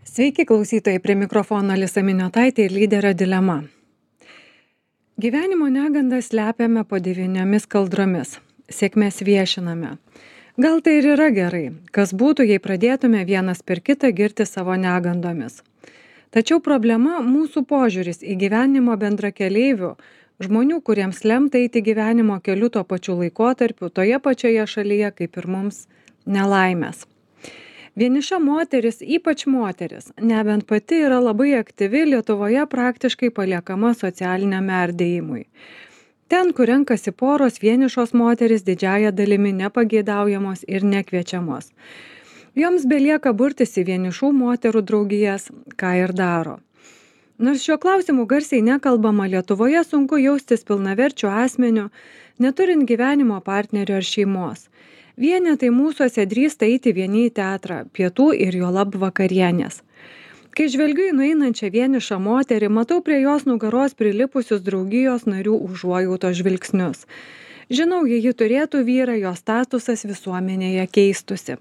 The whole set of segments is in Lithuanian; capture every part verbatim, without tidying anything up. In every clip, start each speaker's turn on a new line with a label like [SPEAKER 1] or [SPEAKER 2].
[SPEAKER 1] Sveiki klausytojai, prie mikrofono Alisa Miniotaitė ir lyderio dilema. Gyvenimo negandą slepiame po devyniomis kaldromis, sėkmės viešiname. Gal tai ir yra gerai, kas būtų, jei pradėtume vienas per kitą girti savo negandomis. Tačiau problema mūsų požiūris į gyvenimo bendrakeleivių, žmonių, kuriems lemta eiti gyvenimo keliu tuo pačiu laikotarpiu, toje pačioje šalyje kaip ir mums, nelaimės. Vieniša moteris, ypač moteris, nebent pati yra labai aktyvi, Lietuvoje praktiškai paliekama socialiniam merdėjimui. Ten, kur renkasi poros, vienišos moteris didžiąja dalimi nepageidaujamos ir nekviečiamos. Joms belieka burtis į vienišų moterų draugijas, ką ir daro. Nors šiuo klausimu garsiai nekalbama, Lietuvoje sunku jaustis pilnaverčiu asmeniu, neturint gyvenimo partnerio ar šeimos. Vienetai mūsuose drįsta eiti vieni į teatrą, pietų ir juolab vakarienės. Kai žvelgiu į nueinančią vienišą moterį, matau prie jos nugaros prilipusius draugijos narių užuojautos žvilgsnius. Žinau, jei ji turėtų vyrą, jos statusas visuomenėje keistusi.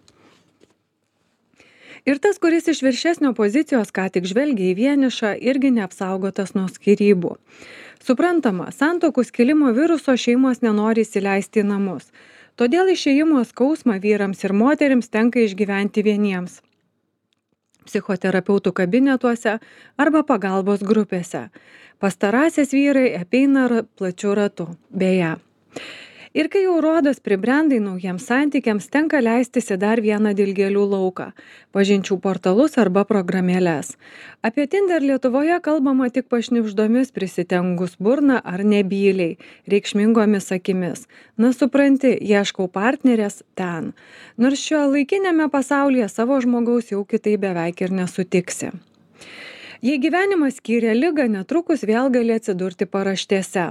[SPEAKER 1] Ir tas, kuris iš viršesnio pozicijos ką tik žvelgia į vienišą, irgi neapsaugotas nuo skyrybų. Suprantama, santuokų skilimo viruso šeimos nenori įsileisti į namus. Todėl išėjimo skausmą vyrams ir moterims tenka išgyventi vieniems. Psichoterapeutų kabinetuose arba pagalbos grupėse. Pastarąsias vyrai apeina plačiu ratu. Beje. Ir kai jau rodos pribrendai naujiems santykiams, tenka leistis į dar vieną dilgėlių lauką – pažinčių portalus arba programėles. Apie Tinder Lietuvoje kalbama tik pašnibždomis prisitengus burną ar nebyliai, reikšmingomis akimis. Na supranti, ieškau partnerės ten. Nors šio laikinėme pasaulyje savo žmogaus jau kitai beveik ir nesutiksi. Jei gyvenimas skyrė ligą, netrukus vėl gali atsidurti paraštėse.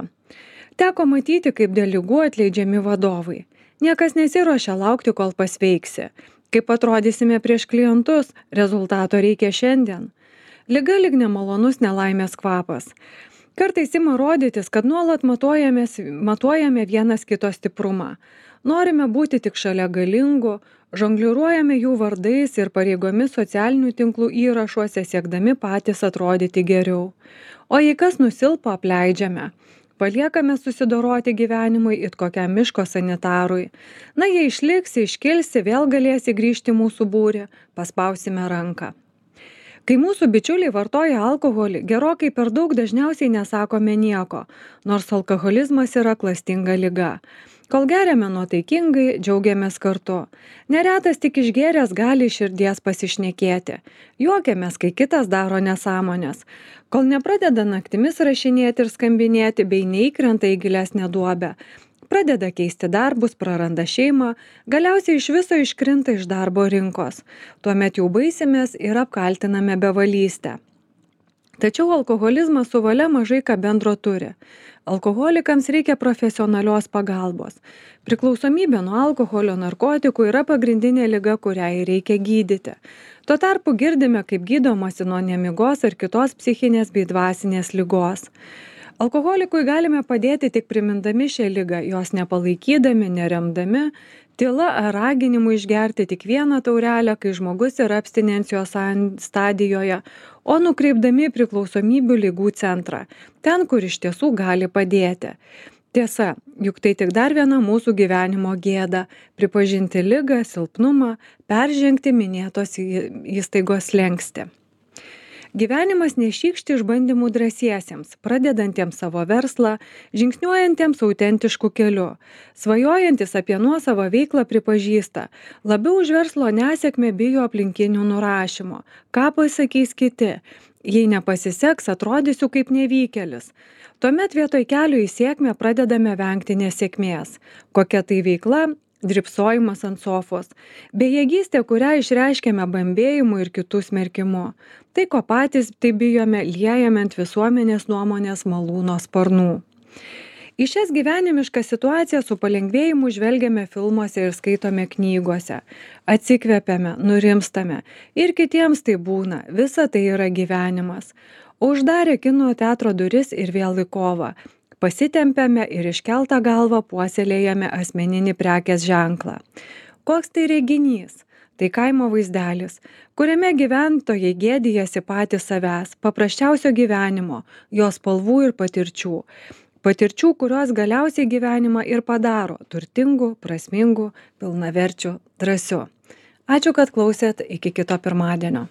[SPEAKER 1] Teko matyti, kaip dėl ligų atleidžiami vadovai. Niekas nesiruošia laukti, kol pasveiksi. Kaip atrodysime prieš klientus, rezultato reikia šiandien. Liga lyg nemalonus nelaimės kvapas. Kartais ima rodytis, kad nuolat matuojame vienas kito stiprumą. Norime būti tik šalia galingų, žongliruojame jų vardais ir pareigomis socialinių tinklų įrašuose, siekdami patys atrodyti geriau. O jei kas nusilpo, apleidžiame. Paliekame susidoroti gyvenimui it kokiam miško sanitarui. Na, jei išliksi, iškilsi, vėl galėsi grįžti mūsų būrį, paspausime ranką. Kai mūsų bičiuliai vartoja alkoholį, gerokai per daug dažniausiai nesakome nieko, nors alkoholizmas yra klastinga liga. Kol geriame nuotaikingai, džiaugiamės kartu. Neretas tik išgėręs gali iš širdies pasišnekėti. Juokiamės, kai kitas daro nesąmonės. Kol nepradeda naktimis rašinėti ir skambinėti, bei neįkrenta į gilesnę duobę. Pradeda keisti darbus, praranda šeimą, galiausiai iš viso iškrinta iš darbo rinkos. Tuomet jau baisimės ir apkaltiname bevalystę. Tačiau alkoholizmas su valia mažai ką bendro turi. Alkoholikams reikia profesionalios pagalbos. Priklausomybė nuo alkoholio narkotikų yra pagrindinė liga, kuriai reikia gydyti. Tuo tarpu girdime, kaip gydomasi nuo nemigos ar kitos psichinės bei dvasinės ligos. Alkoholikui galime padėti tik primindami šią ligą, jos nepalaikydami, neremdami, tyla ar raginimu išgerti tik vieną taurelę, kai žmogus yra abstinencijos stadijoje, o nukreipdami priklausomybių ligų centrą, ten, kur iš tiesų gali padėti. Tiesa, juk tai tik dar viena mūsų gyvenimo gėda – pripažinti ligą, silpnumą, peržengti minėtos įstaigos slenkstį. Gyvenimas nešykšti išbandymų drąsiesiems, pradedantiems savo verslą, žingsniuojantiems autentiškų keliu. Svajojantis apie nuosavą veiklą pripažįsta, labiau už verslo nesėkmę bijo aplinkinių nurašymo. Ką pasakys kiti? Jei nepasiseks, atrodysiu kaip nevykėlis. Tuomet vietoj kelio į sėkmę pradedame vengti nesėkmės. Kokia tai veikla? Dripsojimas ant sofos. Bejėgystė, kurią išreiškėme bambėjimu ir kitų smerkimu. Tai, ko patys tai bijome, liejame ant visuomenės nuomonės malūno sparnų. Į šias gyvenimiškas situacijas su palengvėjimu žvelgiame filmuose ir skaitome knygose. Atsikvepiame, nurimstame. Ir kitiems tai būna. Visa tai yra gyvenimas. Uždarė kino teatro duris ir vėl į kovą. Pasitempiame ir iškeltą galvą puoselėjame asmeninį prekės ženklą. Koks tai reginys? tai kaimo vaizdelis, kuriame gyventojai gėdijasi patys savęs, paprasčiausio gyvenimo, jo spalvų ir patirčių. Patirčių, kurios galiausiai gyvenimą ir padaro turtingu, prasmingu, pilnaverčiu, drąsiu. Ačiū, kad klausėt, iki kito pirmadienio.